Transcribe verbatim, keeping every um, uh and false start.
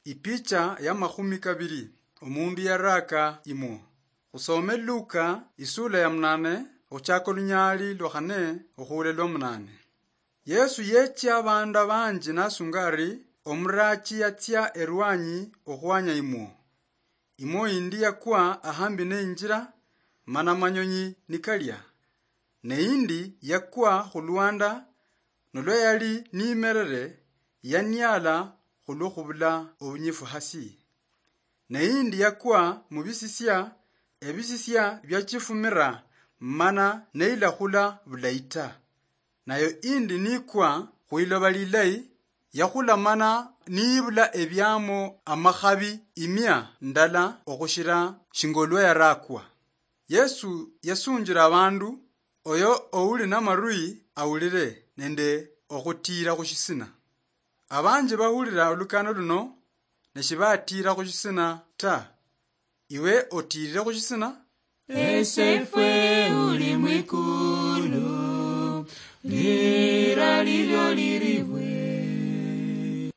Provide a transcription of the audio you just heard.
Ipicha ya makhumi kabiri. Omundu yaraaka imwo. Khusome Luka isula ya munane, khuchaka olunyaali lwa khane okhuula lwa munane. Yesu yeechia abaandu abanji nasunga ari, omuraachi yatsia erwanyi okhwanya imwo. Imwo indi yakwa ahambi neinjira, mana amanyonyi nikalia. Ne indi yakwa khulwanda, nolwa yali niimerere, yaniala khulwo khubula obunyifu hasi. Ne indi yakwa mubisisia, ebisisia biachifumira, mana neilakhula bulayi ta. Nayo indi nikwa khwiloba lilayi, yakhula mana niibula ebiamo amakhabi imia ndala okhushira shinga olwa yaraakwa. Yesu yasunjira abandu, oyo ouli namarui awulire nende okhutiira khushisina. Abanji bahulira olukano luno ne shibatiira khushisina ta. Iwe otiirire khushisina? Esefwe uli mwikulu, lira lilyo liribwe.